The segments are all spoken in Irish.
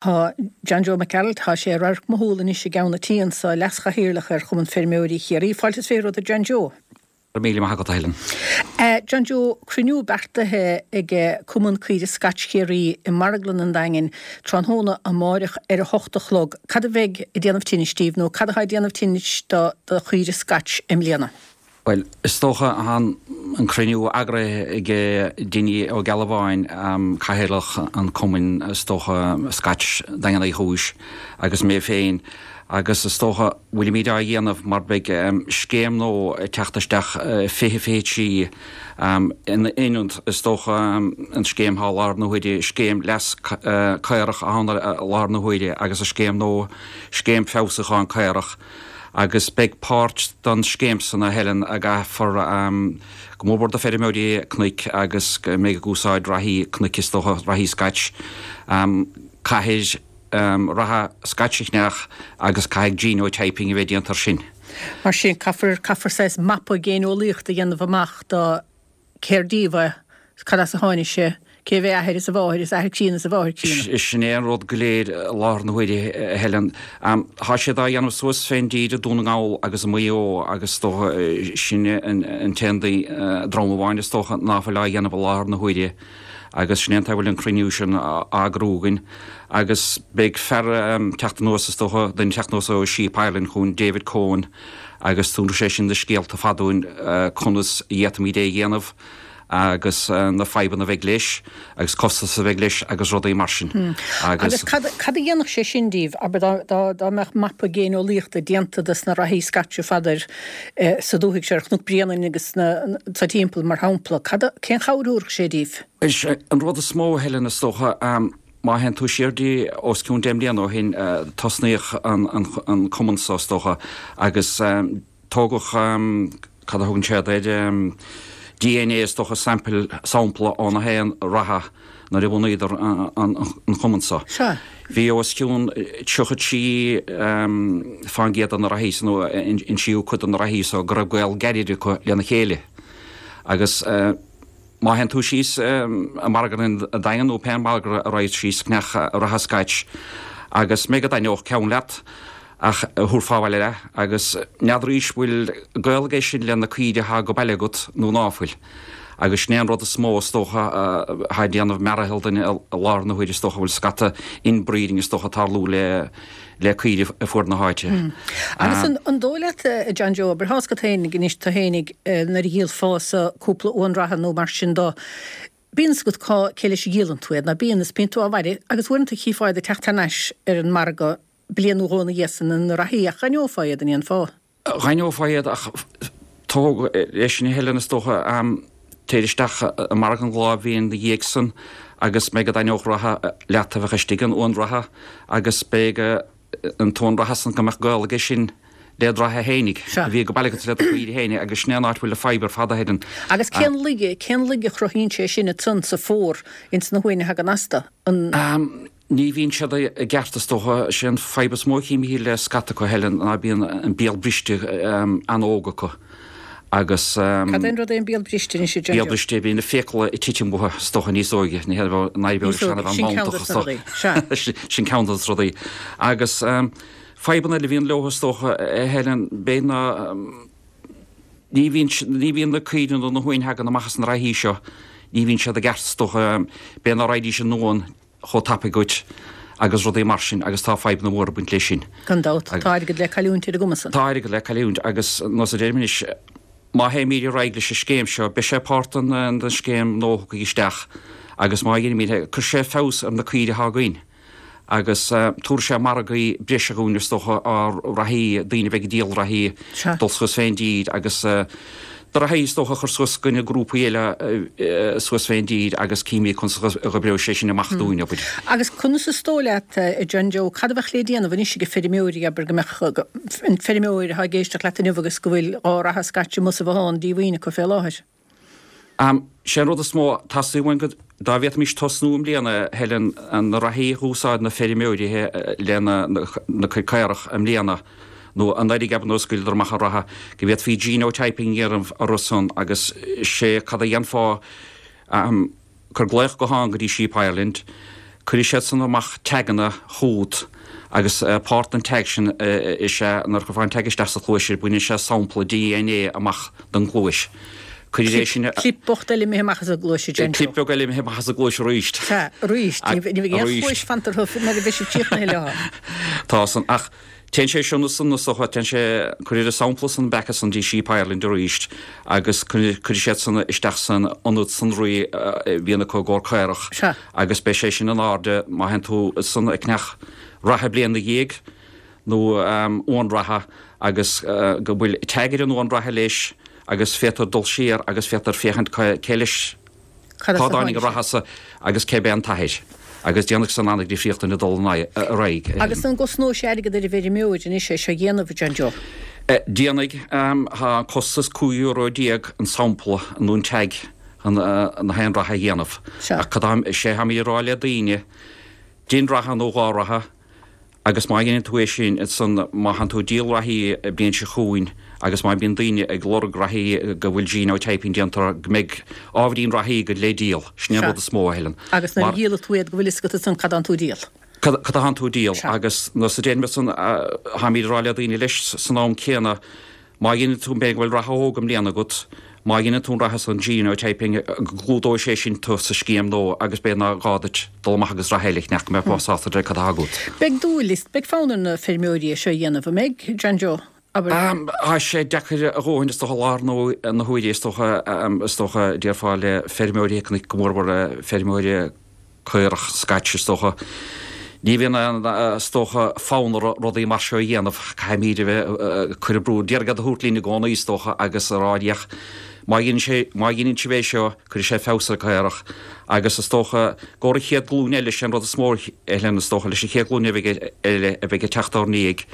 Tá John Joe Mac Gearailt, tá sé i radharc mo shúl anois i gceann an tí anso, Leas-Chathaoirleach ar Chumann Feirmeoirí Chiarraí. Fáilte is 20 romhat a John Joe. Go raibh míle maith agat, a Helen. John Joe, cruinniú beartaithe ag Cumann Caoirigh Scotch Chiarraí i Marglann an Daingin tráthnóna amáireach ar a hocht a chlog. Cad a bheidh ag déanamh tinnis díbh nó cad atá ag déanamh tinnis do do chaoirigh Scotch i mbliana? Bhuel, is dócha, tá an cruinniú eagraithe ag Dinny Ó Gealbháin, Cathaoirleach an Chumainn, is dócha, Scotch Daingean Uí Chúis, agus mé féin, agus is dócha, bhfuilimid á dhéanamh mar beidh scéim nua ag teacht isteach 2023 in ionad, is dócha, an scéim atá i láthair na huaire, scéim leas caorach atá ann i láthair na huaire agus an scéim nua, scéim feabhsúcháin caorach. agus beidh páirt don scéim san, a Helen, a gcaithfear go mór mór do feirmeoirí cnoic agus go mbeidh ag úsáid reathaí cnoic is dócha, reathaí Scotch, caithfidh reatha Scotch a cheannach agus caithfidh genotyping a bheith déanta ar sin. Mar sin, caithfear, caithfear saghas mapa géineolaíochta a dhéanamh amach do cér díobh é, cad as a tháinig sé, cé mhé a athair is a mháthair is athair críonna is a mháthair críonna. Sin é an rud go léir i láthair na huaire, a Helen. Tá siad á dhéanamh suas fén dtír i Dún na nGall agus i Maigh Eo agus is dócha sin an t-aon dream amháin is dócha ná fuil á dhéanamh i láthair na huaire agus sin é an t-a bhfuil an cruinniú sin á eagrú againn agus beidh fear teacht anuas is dócha, duine teacht anuas ó Sheep Ireland chugainn, David Coen, agus tabharfaidh sé sin na scéalta fada dúinn conas a d'fhéadfaimid é a dhéanamh agus na fadhbanna a bheidh leis agus costas a bheidh leis agus rudaí mar sin. Agus cad a dhéanfadh sé sin díbh, abair, dá mbeadh mapa géineolaíochta déanta dos na reathaí Scotch ar fad ar sa dúthaigh seo, ar Chnoc Bréanainn agus sa timpeall, mar shampla, cad, cén chabhair a thabharfadh sé díbh? Is é an rud is mó, a Helen, is dócha, Má théann tú siar dtí os cionn 10 mbliana ó shin, tosnaíodh an cumann so, is dócha, agus tógadh, cad a thugann siad air, DNA, is dócha, sample, sampla ó na haon reatha nuair a bhunaíodar an cumann so. Bhí os cionn 33 fán gcéad de na reathaí so, nó an tríú cuid de na reathaí so, go raibh gaol gairid acu lena chéile. Agus. Má théann tú síos i marglann an Daingin nó pé margadh a raghas síos ceannach reatha Scotch agus b'fhéidir go dtaitneodh ceann leat ach a thabharfá abhaile leat agus n'fheadraís bhfuil gaol aige sin le na caoire atá go baile agat nó ná fuil. Agus sin é an rud is mó is dócha atá ag déanamh mearathal duine i láthair na huaire is dócha bhfuil scata inbreeding is dócha ag tarlú le le caoirigh ar fuaid na háite. Agus an dóigh leat, a John Joe, abair, tá's agat féinig anois, tú féinig, nuair a dhíolfása cúpla uan reatha nó mar sin do, bíonn 's agat cá, cé leis a dhíolann tú iad, ná bíonn, is bíonn tú á bhailiú agus uaireanta chífeá iad ag teacht thar n-ais ar an margadh bliain nó dhó ina dhiaidh san, na reathaí, ach dh'aithneofá iad, an ndéanfá? Dh'aithneofá iad ach tóg leis sin a Helen is dócha, téir isteach i margadh an lá a bhíonn ina dhiaidh san agus b'fhéidir go dtaitneodh reatha leat a bheadh istigh in uan reatha agus b'fhéidir an t-uan reatha san go mbeadh gaol aige sin le do reatha fhéinig a bhí go baile agat le do chaoire fhéinig agus sin é an áit a bhfuil an fadhb ar fad a Helen. Agus cén laige, cén laige a chruthaíonn sé sin ansan sa phór ins na huain a thagann astu? An. Ní bhíonn siad i gceart is dócha. Sé an fadhb is mó a chímid le scata acu, Helen, ná bíonn an béal briste an-óg acu agus. Cad é an rud é an béal briste anois, a John Joe? Béal briste, bíonn na fiacla ag titim uathu is dócha níos óige, ní hé an fhadhb Níos óige, sin ceann dos na rudaí, sea. Sin ceann dos na rudaí. Agus fadhbanna eile a bhíonn leo is dócha, a Helen, b'fhéidir ná ní bhíonn, ní bhíonn na caoirigh nó na huain a thagann amach as na reathaí seo, ní bhíonn siad i gceart is dócha, b'fhéidir ná raghaidís in uan chomh tapaidh dhuit agus rudaí mar sin agus tá fadhbanna móra ag baint leis sin. Gan dabht, tá airgead le cailliúint ar an gcuma san. Tá airgead le cailliúint agus nós a deirim anois, má théimid ar aghaidh leis an scéim seo, beidh sé páirt den scéim nua a thiocfaidh isteach agus má dhéanaimid é, cuirfidh sé feabhas ar na caoirigh atá againn agus tabharfaidh sé margaí breise dhúinn is dócha, ár reathaí, daoine a bheidh ag díol reathaí, dul suas fén dtír agus do reathaí is dócha a chur suas i gcoinne grúpaí eile suas fén dtír agus címid conas a dh'oibreoidh sé sin amach dúinn, abair. Agus conas is dóigh leat, a John Joe, cad a bheadh le déanamh anois ag feirmeoirí, abair go mbeadh an feirmeoir atá ag éisteacht leat inniu agus go bhfuil dhá reatha Scotch amuigh sa bhothán díomhaoin acu fé láthair? Sé an rud is mó, teastaíonn uainn go, dá bhféadfaimis tosnú i mbliana, Helen, na reathaí a dh'úsáid na feirmeoirí lena na cuid caorach i mbliana, nó anuraidh abair nuair a scaoileadar amach an reatha, go bhféadfaí genotyping a dhéanamh orthu san agus sé cad a dhéanfá, cuir glaoch gutháin go dtí Sheep Ireland. Cuirfidh siad san amach taganna chugat agus páirt den tag sin is ea nuair a chuirfeá an tag isteach sa chluais baineann sé sampla DNA amach den gcluais. Cuirfidh é sin. Clip bocht eile imithe amach as an gcluais a John Joe. Clip beag eile imithe amach as an gcluais arís. Sea, arís. Ní bheidh aon chluais fanta orthu nuair a bheidh siad críochnaithe leo. Tá san ach Téann sé sin ansan is dócha, téann sé, cuirfidh an sampla san back ansan dtí Sheep Ireland arís agus cuirfidh siad san isteach san ionad sonraí a bhíonn acu i gcomhair caorach Sea. agus beidh sé sin in airde má théann tú ansan ag ceannach reithe bliain 'na dhiaidh nó uan reatha agus go bhfuil tag ar an uan reatha leis agus féadtar dul siar agus féadtar féachaint cé leis Cad as Cá a dtáinig tháinig an sé? reatha so agus cé b'é an t-athair? Agus déanfaidh san an-difríocht ag dul ar aghaidh. Agus an gcosnóidh sé airgead ar an bhfeirmeoir anois é seo a dhéanamh, a John Joe? Déanfaidh. Tá an costas €15 euro an sampla nó an tag chun na haon reatha a dhéanamh. Sea. Ach cad tá, sé tháimid ag rá le daoine, dein reatha nó dhá reatha, Agus má dheineann tú é sin, ansan má thánn tú ag díol reathaí an bhliain seo chugainn agus má bíonn daoine ag lorg reathaí go bhfuil genotyping déanta orthu, go mbeidh ábhairín reathaí agat le díol. Sin é an Sea. rud is mó, a Helen. Agus nuair a Mar. dhíolfaidh tú iad go bhfuil fhios agat ansan cad tánn tú a díol. Cad cad a thánn tú a díol. Sea. Agus nuair a deirim ansan, tháimid ag rá le daoine leis san am céanna, Má dheineann tú, b'fhéidir go bhfuil reatha óg i mbliana agat, má dheineann tú an reatha san genotyping, go gclúdóidh sé sin tú sa scéim nua agus b'fhéidir nár ghá duit dul amach agus reatha eile a cheannach, go mbeifeá sásta le cad atá agat. Beidh dúil is beidh fonn ar na feirmeoirí é seo a dhéanamh, an mbeidh, John Joe? Abair. Tá sé deacair a dhóthain is dócha i láthair na huaire is dócha, is dócha, déarfá le feirmeoirí, go mórmhór feirmeoirí, caorach scaití is dócha. Ní bhíonn aon, is dócha, fonn orthu rudaí mar seo a dhéanamh. Caithfimid a bheith ag cur brú, d'iarraidh iad a thabhairt linn i gcónaí is dócha agus a rá féach, má dheineann sé, má dheineann sibh é seo, cuirfidh sé feabhas ar an gcaorach. Agus is dócha, i gcomhair an chéad glúin eile, sé an rud is mó, a Helen, is dócha, leis an chéad ghlúin eile a bheidh ag teacht ár ndiaidh,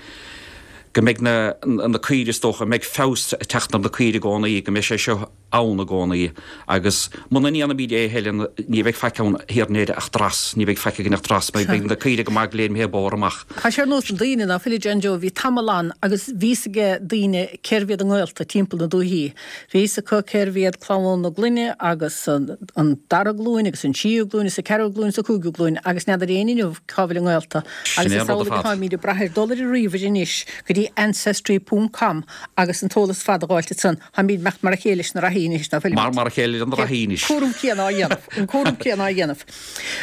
go mbeidh na, na caoirigh is dócha, mbeidh feabhas ag teacht ar na caoirigh i gcónaí, go mbeidh sé seo, ann i gcónaí agus muna ndéanaimid é a Helen ní bheidh faic ann thiar in Éirinn ach dreas, ní bheidh faic againn ach dreas, beidh na caoirigh go maith go léir imithe bodhar amach. Tá sé ar nós na daoine, ná fuil a John Joe, bhí tamall ann agus bhí fhios aige daoine cérbh iad a ngaolta timpeall na dúichí. Bhí fhios acu cérbh iad clann na gloine agus an dara glúin agus an tríú glúin agus an ceathrú glúin agus an cúigiú glúin agus n'fheadar éinne inniu cá bhfuil a ngaolta. Sin Agus é is an rud ar amhlaidh fad. atáimid ag brath ar dul ar an ríomhaire anois go dtí ancestry ponc com agus an t-eolas fada a dh'fháilt ansan. Táimid imeacht mar a chéile leis na reathaí anois, ná fuilimid? Mar mar a chéile leis na reathaí anois. Cúram céanna á dhéanamh. An cúram céanna á dhéanamh.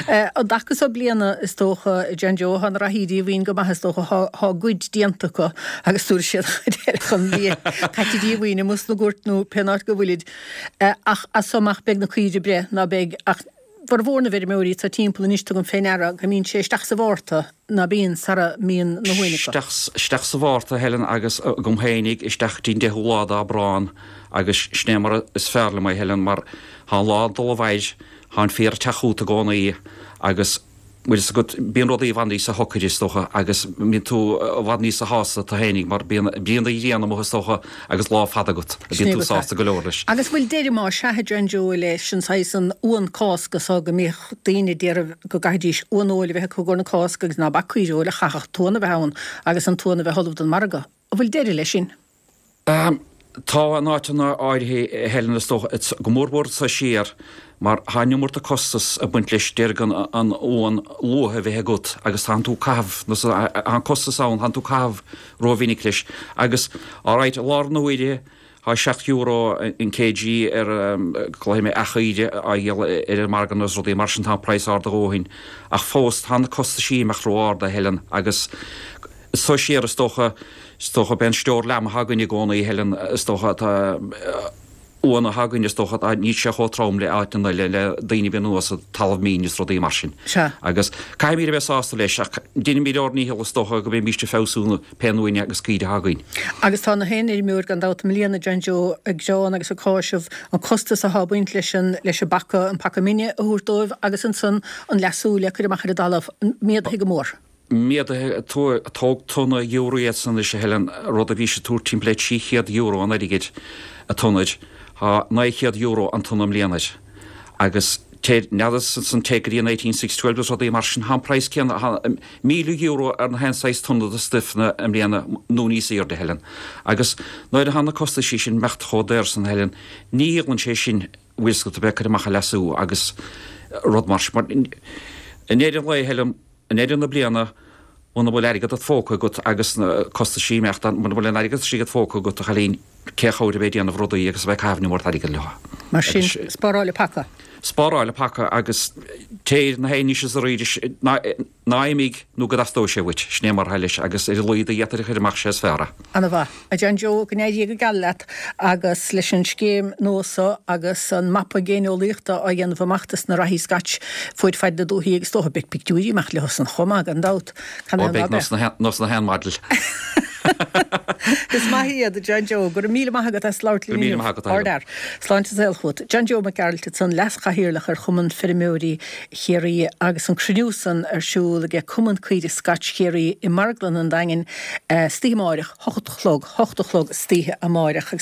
An dtaca so bliana, is dócha, John Joe, thá na reathaí díomhaoin go maith, is dócha, thá, thá a gcuid déanta acu agus tabharfaidh siad an chuid eile chun bídh caite díomhaoin amuigh sna goirt nó pén áit go bhfuilid. Ach as so amach beidh na caoirigh ag breith, ná beidh ach formhór na bhfeirmeoirí atá timpeall anois tugaim fé ndeara go mbíonn sé isteach sa Mhárta ná bíonn sara mbíonn na huain acu. Isteach sa Mhárta, a Helen, agus agam fhéinig isteach dtí'n deichiú lá d'Aibreán agus sin é mar is fearr liom é, a Helen, mar thá an lá ag dul i bhfaid, thá an féar ag teacht chugat i gcónaí agus bhfuil fhios agat, bíonn rudaí i bhfad níosa shocaire is dócha agus bíonn tú i bhfad níosa shásta tú fhéinig mar bíonn bríonna ghrian amuigh is dócha agus lá fada agat a bíonn tú sásta go leor leis. Agus bhfuil deireadh más ea a John Joe leis an saghas an uan Cásca so go mbíodh daoine ag iarraidh go gcaithfidís uan fheoil a bheith acu i gcomhair na Cásca agus ná bac caoire fheoil ach chaithfeadh an t-uan a bheith ann agus an t-uan a bheith ullamh don margadh. An bhfuil deireadh leis sin? Tá in áiteanna áirithe, a Helen, is dócha, go mórmhór anso siar, mar tá an iomarta costas ag baint leis déarfainn an uan luath a bheith agat agus tánn tú ag caitheamh, tá an costas ann, tánn tú ag caitheamh rómhinic leis. Agus, alright, i láthair na huaire, tá €7 an kg ar, glaofaidh mé eachaoire á dhíol ar an margadh nó rudaí mar sin, tá an praghas ard a dhóthain. Ach fós, tá na costaisí ag imeacht ró-ard, a Helen, agus, Anso siar, is dócha, is dócha, b'é an stior lamb atá againn i gcónaí, a Helen, is dócha, tá uan atá againn, is dócha, tá, níl sé chomh trom le áiteanna eile, le daoine a bhíonn anuas i talamh mín is rudaí mar sin. Sea. Agus caithfimid a bheith sásta leis, ach deinimid ár ndícheall, is dócha, go mbeimíst ag feabhsú na pé uain agus caoire atá againn. Agus tá na haon fheirmeoir gan dabht i mbliana, John Joe, ag gearán agus ag cáiseamh an costas athá ag baint leis an, leis an bpaca, an paca mine a thabhairt dóibh agus ansan an leasú le cur amach ar an dtalamh, méadaithe go mór. Méadaithe, tóg tonna giúiréas anois a Helen, rud a bhís ag tabhairt timpeall le €300 an airgid a tonna air, tá €900 an tonna i mbliana air. Agus téir, n'fheadar san téigh go dtí an eighteen six twelve agus rudaí mar sin, tá an praghas céanna, tá €1,000 ar na haon saghas tonna de stuif na i mbliana nó níos aoirde a Helen. Agus nuair atá na costaisí sin imeacht chomh daor san a Helen, ní dhíolann sé sin bhfuil fhios agat a bheith ag cur amach a leasú agus rud mar sin. I ndeireadh an lae, Helen, i ndeireadh na bliana, muna bhfuil airgead id phóca agat agus na costaisí ag imeacht, muna bhfuil an airgead istigh id phóca agat, a chailín, cé a chabhair a bheith ag déanamh rudaí agus a bheith ag caitheamh an iomarca airgid leo. Mar sin, spáráil an paca. Spáráil an paca agus téir ná téigh anois is arís, ná imigh nó go dteastóidh sé uait. Sin é mar atá leis agus ar a laghad a d'fhéadfair a chur amach sé is fearr é. Ana mhaith. A John Joe, go n-éirí go geal leat agus leis an scéim nua so agus an mapa géineolaíochta á dhéanamh amach dos na reathaí Scotch fuaid faid na dúthaí agus is dócha beidh pictiúirí ag imeacht leo san chomh maith gan dabht. Ó beidh nós na haon model. Is maith iad, a John Joe. Go raibh míle maith agat as labhairt linn inniu. Go raibh míle maith agat, a Helen. Sláinte is saol chugat. John Joe Mac Gearailt ansan, Leas-Chathaoirleach ar Chumann Feirmeoirí Chiarraí agus an cruinniú san ar siúl aige Cumann Caoirigh Scotch Chiarraí i Marglann an Daingin istoíche amáireach, hocht a chlog, hocht a chlog istoíche amáireach. Agus.